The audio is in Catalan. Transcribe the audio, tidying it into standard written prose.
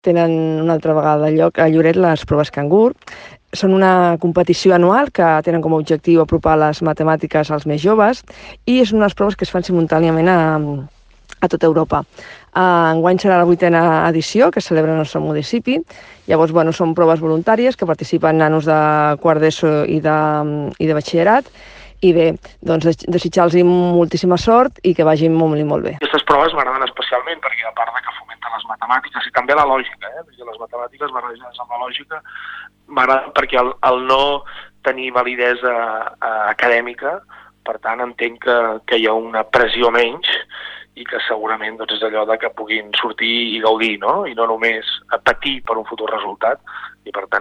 tenen una altra vegada lloc a Lloret les proves Cangur. Són una competició anual que tenen com a objectiu apropar les matemàtiques als més joves i és una de les proves que es fan simultàniament a tota Europa. Enguany serà la 8a edició que es celebra al nostre municipi. Llavors, són proves voluntàries que participen nanos de quart d'ESO i de batxillerat. I bé, desitjar-los moltíssima sort i que vagin molt bé. Aquestes proves m'agraden especialment perquè, a part que fomenten les matemàtiques i també la lògica, perquè les matemàtiques barrejades amb la lògica m'agraden perquè el no tenir validesa acadèmica, per tant entenc que hi ha una pressió menys i que segurament és allò que puguin sortir i gaudir, no? I no només patir per un futur resultat, i per tant